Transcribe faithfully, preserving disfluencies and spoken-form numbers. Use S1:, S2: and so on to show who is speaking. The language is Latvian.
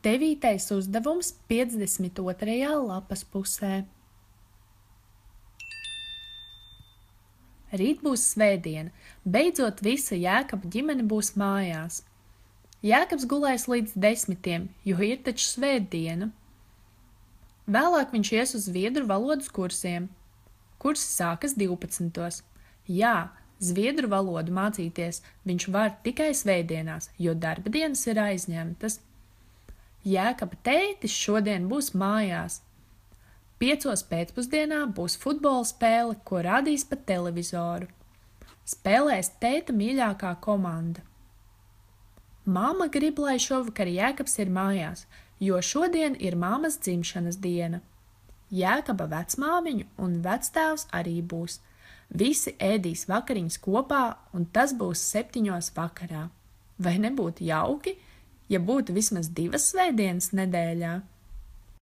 S1: Devītais uzdevums piecdesmit otrajā lapas pusē. Rīt būs svētdiena, beidzot visa Jēkaba ģimene būs mājās. Jēkabs gulēs līdz desmitiem, jo ir taču svētdiena. Vēlāk viņš ies uz zviedru valodas kursiem. Kursi sākas divpadsmitos. Jā, zviedru valodu mācīties viņš var tikai svētdienās, jo darba dienas ir aizņemtas. Jēkaba tētis šodien būs mājās. Piecos pēcpusdienā būs futbola spēle, ko rādīs pa televizoru. Spēlēs tēta mīļākā komanda. Māma grib, lai šovakar Jēkabs ir mājās, jo šodien ir māmas dzimšanas diena. Jēkaba vecmāmiņu un vectēvs arī būs. Visi ēdīs vakariņas kopā, un tas būs septiņos vakarā. Vai nebūtu jauki, ja būtu vismaz divas svētdienas nedēļā?